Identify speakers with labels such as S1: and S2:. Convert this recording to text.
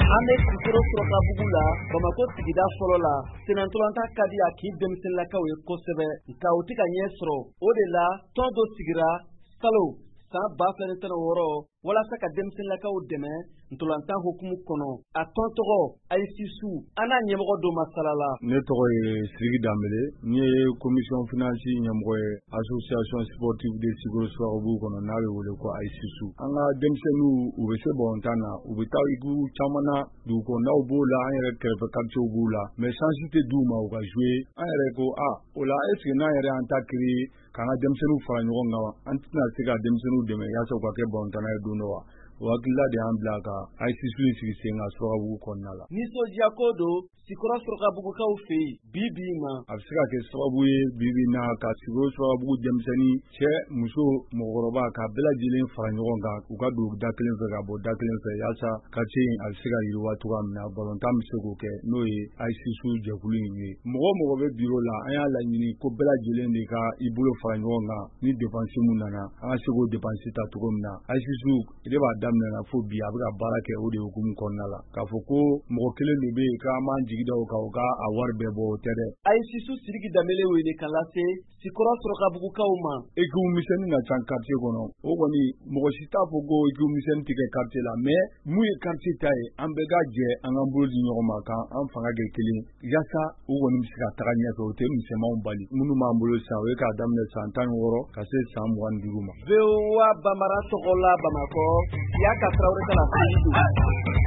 S1: An bɛ Sikɔrɔ Surakabugu la, Bamakɔ sigida fɔlɔ la. Sennantolatan ka di a kin denmisɛnninlakaw ye kosɛbɛ, nka u tɛ ka ɲɛ sɔrɔ. O de la, tɔn dɔ sigira salon san 2016 walasa ka denmisɛnninlakaw dɛmɛ ntolantan hukumu kɔnɔ. A tɔn tɔgɔ Ayisisu. An n'a ɲɛmɔgɔ dɔ masala la.
S2: Ne tɔgɔ ye Sidiki Danbele, n ye commission finance ɲɛmɔgɔ ye association sportive de Sikoro Surakabugu kɔnɔ, n'a bɛ wele ko Ayisisu. An ka denmisɛnninw, u bɛ se balontan na, u bɛ taa équipe caman na, dugu kɔnɔnaw b'o la, an yɛrɛ kɛrɛfɛ quartier b'u la, mais chance tɛ d'u ma u ka jouer. An yɛrɛ ko a o la, est ce que n'an yɛrɛ y'an ta créer k'an ka denmisɛnninw fara ɲɔgɔn kan, an tɛna se ka denmisɛnninw dɛmɛ yaasa u ka kɛ balontanna ye don dɔ wa? O hakilila de y'an bila ka Ayisisu in sigi sen kan Surakabugu kɔnɔna la.
S1: Nisɔndiya ko don Sikɔrɔ Surakabugukaw fɛ yen bi bi in na.
S2: A bɛ se ka kɛ sababu ye bi bi in na ka Sikɔrɔ Surakabugu denmisɛnnin, cɛ, muso, mɔgɔkɔrɔba, ka bɛɛ lajɛlen fara ɲɔgɔn kan, u ka don da kelen fɛ ka bɔ da kelen fɛ, yaasa quartier in a bɛ se ka yiriwa cogoya min na, balontan bɛ se k'o kɛ, n'o ye Ayisisu jɛkulu in ye. Mɔgɔ mɔgɔ bɛ bureau la, an y'a laɲini ko bɛɛ lajɛlen de ka i bolo fara ɲɔgɔn kan. Ni dépense mun nana, an ka se k'o dépense ta cogo min na. Ayisisu de b'a daminɛ na fo bi, a bɛ ka baara kɛ o de hukumu kɔnɔna la. K'a fɔ ko mɔgɔ kelen de bɛ yen k'an b'an jigi da o kan, o ka a wari bɛɛ bɔ, o tɛ dɛ.
S1: Ayisisu Sidiki Danbele wele ka lase Sikɔrɔ Surakabugukaw ma.
S2: Équipe misɛnnin ka ca quartier kɔnɔ, o kɔni mɔgɔ si t'a fɔ ko équipe misɛnnin tɛ kɛ quartier la, mais mun ye quartier ta ye, an bɛɛ ka jɛ, an k'an bolo di ɲɔgɔn ma, k'an an fanga kɛ kelen, yaasa u kɔni bɛ se ka taga ɲɛfɛ. O tɛ misɛnmanw bali. Minnu b'an bolo sisan, o ye k'a daminɛ san 16 ka se san 25 ma.
S1: VOA Bambara tɔgɔ la Bamakɔ, Siyaka Tarawele ka laseli don.